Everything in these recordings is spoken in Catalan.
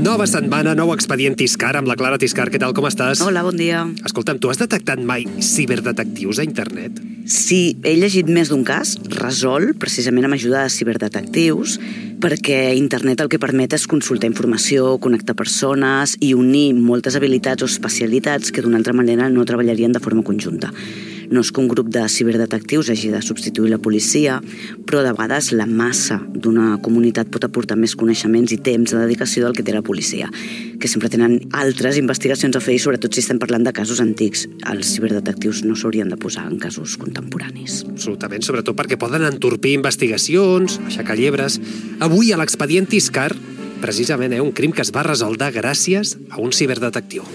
Nova setmana, nou expedient Tiscar amb la Clara Tiscar. Què tal, com estàs? Hola, bon dia. Escolta'm, tu has detectat mai ciberdetectius a internet? Sí, he llegit més d'un cas, resolt precisament amb ajuda de ciberdetectius, perquè internet el que permet és consultar informació, connectar persones i unir moltes habilitats o especialitats que d'una altra manera no treballarien de forma conjunta. No és que un grup de ciberdetectius hagi de substituir la policia, però de vegades la massa d'una comunitat pot aportar més coneixements i temps de dedicació del que té la policia, que sempre tenen altres investigacions a fer i sobretot si estem parlant de casos antics. Els ciberdetectius no s'haurien de posar en casos contemporanis. Absolutament, sobretot perquè poden entorpir investigacions, aixecar llebres. Avui a l'expedient Tiscar, precisament un crim que es va resoldre gràcies a un ciberdetectiu.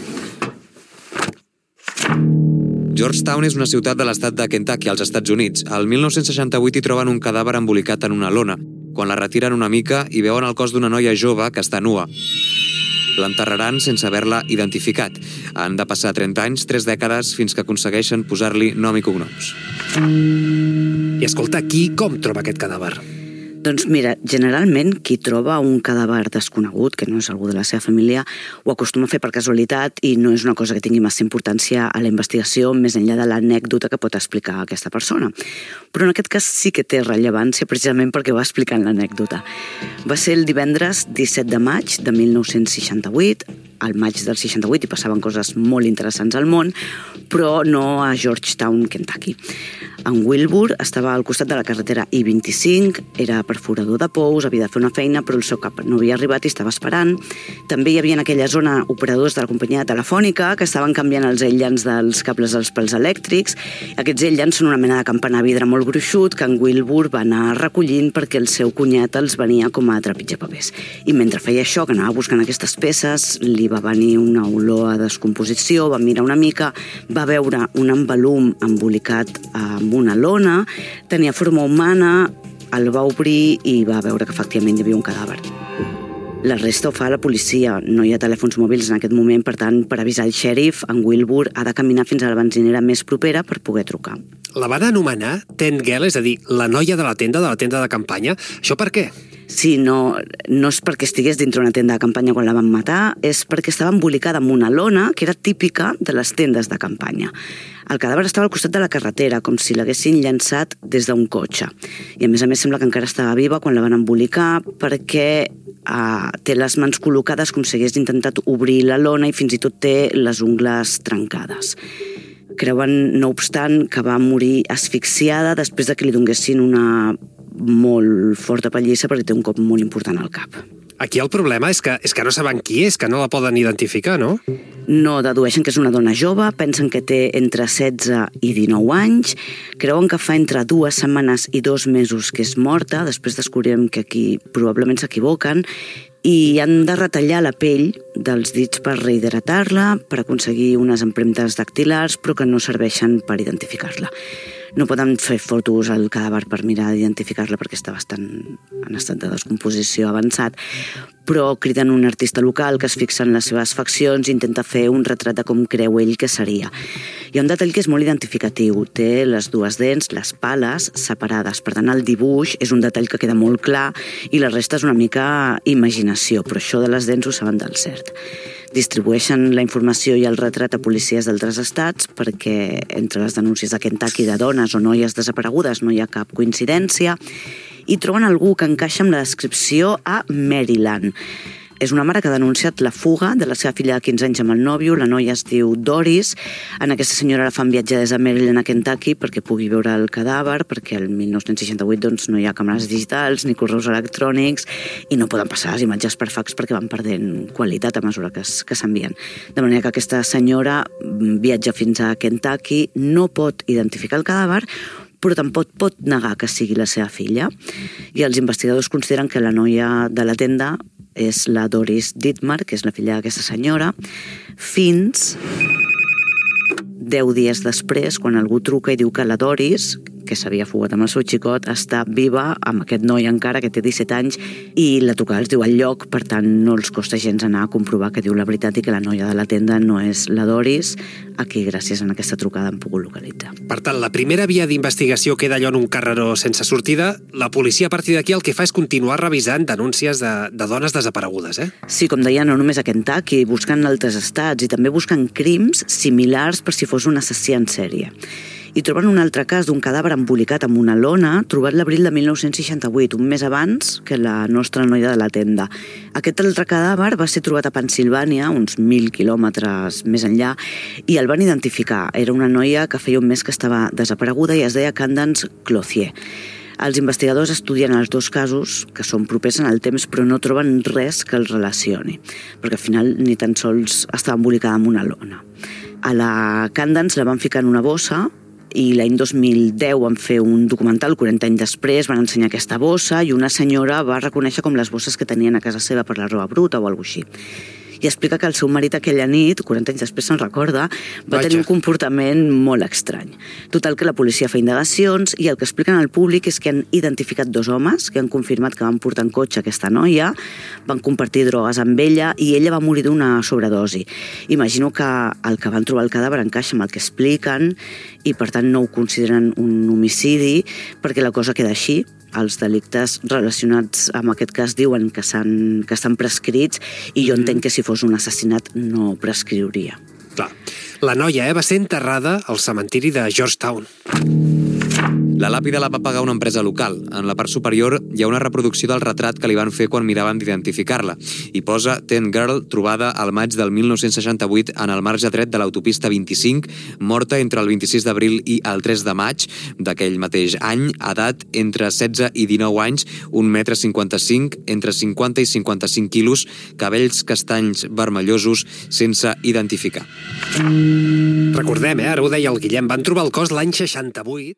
Georgetown és una ciutat de l'estat de Kentucky, als Estats Units. Al 1968 hi troben un cadàver embolicat en una lona. Quan la retiren una mica, hi veuen el cos d'una noia jove que està nua. L'enterraran sense haver-la identificat. Han de passar 30 anys, 3 dècades, fins que aconsegueixen posar-li nom i cognoms. I escolta, com troba aquest cadàver? Doncs mira, generalment qui troba un cadàver desconegut, que no és algú de la seva família, ho acostuma a fer per casualitat i no és una cosa que tingui massa importància a la investigació més enllà de l'anècdota que pot explicar aquesta persona. Però en aquest cas sí que té rellevància precisament perquè va explicant l'anècdota. Va ser el divendres 17 de maig de 1968, al maig del 68 hi passaven coses molt interessants al món, però no a Georgetown, Kentucky. En Wilbur estava al costat de la carretera I-25, era perforador de pous, havia de fer una feina, però el seu cap no havia arribat i estava esperant. També hi havia en aquella zona operadors de la companyia telefònica que estaven canviant els aïllants dels cables dels pals elèctrics. Aquests aïllants són una mena de campanar vidre molt gruixut que en Wilbur va anar recollint perquè el seu cunyat els venia com a trepitjapapers. I mentre feia això, que anava buscant aquestes peces, li va venir una olor a descomposició, va mirar una mica, va veure un embalum embolicat amb una lona, tenia forma humana, el va obrir i va veure que efectivament hi havia un cadàver. La resta ho fa la policia, no hi ha telèfons mòbils en aquest moment, per tant, per avisar el xèrif, en Wilbur ha de caminar fins a la benzinera més propera per poder trucar. La van anomenar Tent Girl, és a dir, la noia de la tenda de campanya. Això per què? Sí, no és perquè estigués dintre una tenda de campanya quan la van matar, és perquè estava embolicada amb una lona que era típica de les tendes de campanya. El cadàver estava al costat de la carretera, com si l'haguessin llançat des d'un cotxe. I a més sembla que encara estava viva quan la van embolicar perquè té les mans col·locades com si hagués intentat obrir la lona i fins i tot té les ungles trencades. Creuen, no obstant, que va morir asfixiada després de que li donguessin una molt forta pallissa perquè té un cop molt important al cap. Aquí el problema és que no saben qui és, que no la poden identificar, no? No, dedueixen que és una dona jove, pensen que té entre 16 i 19 anys, creuen que fa entre 2 setmanes i 2 mesos que és morta, després descobrirem que aquí probablement s'equivoquen, i han de retallar la pell dels dits per rehidratar-la, per aconseguir unes empremtes dactilars, però que no serveixen per identificar-la. No poden fer fotos al cadàver per mirar d'identificar-la perquè està bastant en estat de descomposició avançat, però criden un artista local que es fixa en les seves faccions i intenta fer un retrat de com creu ell que seria. Hi ha un detall que és molt identificatiu. Té les 2 dents, les pales, separades. Per tant, el dibuix és un detall que queda molt clar i la resta és una mica imaginació, però això de les dents ho saben del cert. Distribueixen la informació i el retrat a policies d'altres estats perquè entre les denúncies de Kentucky de dones o noies desaparegudes no hi ha cap coincidència i troben algú que encaixa amb la descripció a Maryland. És una mare que ha denunciat la fuga de la seva filla de 15 anys amb el nòvio, la noia es diu Doris. En aquesta senyora la fan viatjar des de Maryland a Kentucky perquè pugui veure el cadàver, perquè el 1968 no hi ha càmeres digitals ni correus electrònics i no poden passar les imatges per fax perquè van perdent qualitat a mesura que s'envien. De manera que aquesta senyora viatja fins a Kentucky, no pot identificar el cadàver, però tampoc pot negar que sigui la seva filla. I els investigadors consideren que la noia de la tenda és la Doris Dittmar, que és la filla d'aquesta senyora, fins 10 dies després, quan algú truca i diu que la Doris, que s'havia fugat amb el seu xicot, està viva amb aquest noi encara, que té 17 anys, i la trucada els diu al lloc, per tant no els costa gens anar a comprovar que diu la veritat i que la noia de la tenda no és la Doris, a qui gràcies a aquesta trucada han pogut localitzar. Per tant, la primera via d'investigació queda allò en un carreró sense sortida. La policia a partir d'aquí el que fa és continuar revisant denúncies de dones desaparegudes, eh? Sí, com deia, no només a Kentucky, buscant altres estats i també buscant crims similars per si fos un assassí en sèrie. I troben un altre cas d'un cadàver embolicat amb una lona trobat l'abril de 1968, un mes abans que la nostra noia de la tenda. Aquest altre cadàver va ser trobat a Pennsilvània, uns 1.000 quilòmetres més enllà, i el van identificar. Era una noia que feia un mes que estava desapareguda i es deia Candace Clothier. Els investigadors estudien els dos casos, que són propers en el temps, però no troben res que els relacioni, perquè al final ni tan sols estava embolicada amb una lona. A la Candace la van ficar en una bossa i l'any 2010 van fer un documental, 40 anys després van ensenyar aquesta bossa i una senyora va reconèixer com les bosses que tenien a casa seva per la roba bruta o alguna cosa així. I explica que el seu marit aquella nit, 40 anys després se'n recorda, va tenir un comportament molt estrany. Total, que la policia fa indagacions i el que expliquen al públic és que han identificat dos homes que han confirmat que van portar en cotxe aquesta noia, van compartir drogues amb ella i ella va morir d'una sobredosi. Imagino que el que van trobar el cadàver encaixa amb el que expliquen i per tant no ho consideren un homicidi perquè la cosa queda així. Els delictes relacionats amb aquest cas diuen que estan prescrits i jo entenc que si fos un assassinat no prescriuria. Clar. La noia va ser enterrada al cementiri de Georgetown. La làpida la va pagar una empresa local. En la part superior hi ha una reproducció del retrat que li van fer quan miraven d'identificar-la. I posa Ten Girl, trobada al maig del 1968 en el marge dret de l'autopista 25, morta entre el 26 d'abril i el 3 de maig d'aquell mateix any, edat entre 16 i 19 anys, 1,55 m, entre 50 i 55 quilos, cabells castanys vermellosos, sense identificar. Recordem, ara ho deia el Guillem, van trobar el cos l'any 68.